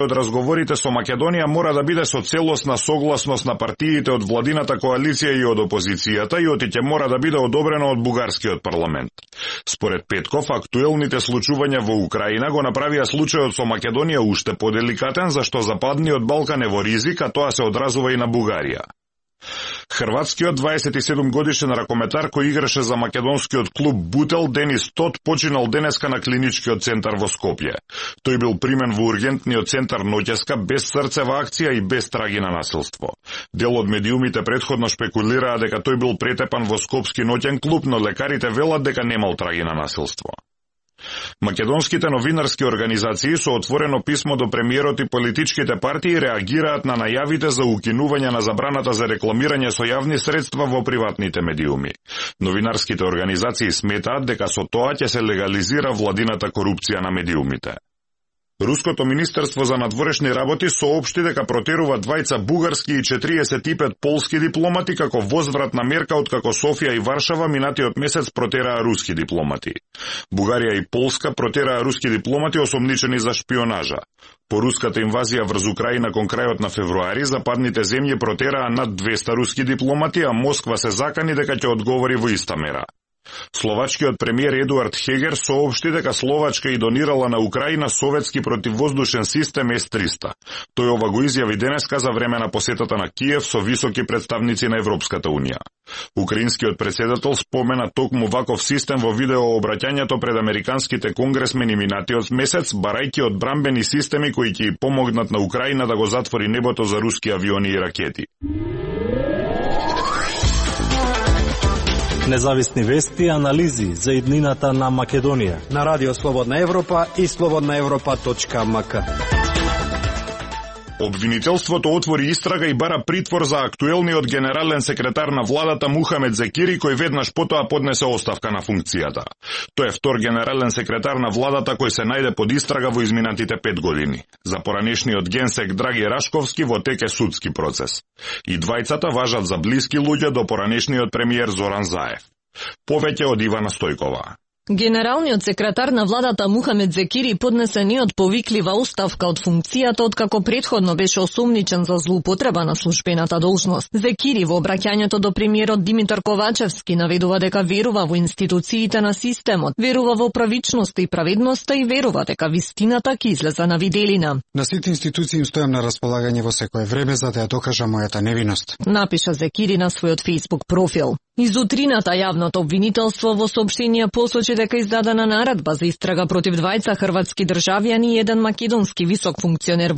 од разговорите со Македонија мора да биде со целосна согласност на партиите од владината коалиција и од опозицијата и отиќе мора да биде одобрено од бугарскиот парламент. Според Петков, актуелните случувања во Украина го направија случајот со Македонија уште поделикатен, зашто Западниот Балкан е во ризик, а тоа се одразува и на Бугарија. Хрватскиот 27 годишен ракометар кој играше за македонскиот клуб Бутел Денис Тот починал денеска на клиничкиот центар во Скопје. Тој бил примен во ургентниот центар ноќеска без срцева акција и без траги на насилство. Дел од медиумите претходно шпекулираа дека тој бил претепан во скопски ноќен клуб, но лекарите велат дека немал траги на насилство. Македонските новинарски организации со отворено писмо до премиерот и политичките партии реагираат на најавите за укинување на забраната за рекламирање со јавни средства во приватните медиуми. Новинарските организации сметаат дека со тоа ќе се легализира владината корупција на медиумите. Руското министерство за надворешни работи соопшти дека протерува 2 бугарски и 45 полски дипломати како возвратна мерка откако Софија и Варшава минатиот месец протераа руски дипломати. Бугарија и Полска протераа руски дипломати осомничени за шпионажа. По руската инвазија врз Украина кон крајот на февруари, западните земји протераа над 200 руски дипломати, а Москва се закани дека ќе одговори во иста мера. Словачкиот премиер Едуард Хегер соопшти дека Словачка и донирала на Украина советски противвоздушен систем С-300. Тој ова го изјави денеска за време на посетата на Киев со високи представници на Европската унија. Украинскиот председател спомена токму ваков систем во видеообраќањето пред американските конгресмени минатиот месец, барајќи од брамбени системи кои ќе помогнат на Украина да го затвори небото за руски авиони и ракети. Независни вести и анализи за иднината на Македонија на Радио Слободна Европа и slobodnaevropa.mk. Обвинителството отвори истрага и бара притвор за актуелниот генерален секретар на владата Мухамед Зекири, кој веднаш потоа поднесе оставка на функцијата. Тој е втор генерален секретар на владата кој се најде под истрага во изминатите 5 години. За поранешниот генсек Драги Рашковски во тек е судски процес. И двајцата важат за блиски луѓе до поранешниот премиер Зоран Заев. Повеќе од Ивана Стојкова. Генералниот секретар на владата Мухамед Зекири поднесе неотповиклива оставка од функцијата откако претходно беше осумничен за злоупотреба на службената должност. Зекири во обраќањето до премиерот Димитар Ковачевски наведува дека верува во институциите на системот, верува во правичноста и праведноста и верува дека вистината ќе излезе на виделина. На сите институции им стојам на располагање во секое време за да ја докажам мојата невиност, напиша Зекири на својот Facebook профил. Изутрината јавното обвинителство во соопштение посочи дека издадена наредба за истрага против 2 хрватски државјани и 1 македонски висок функционер во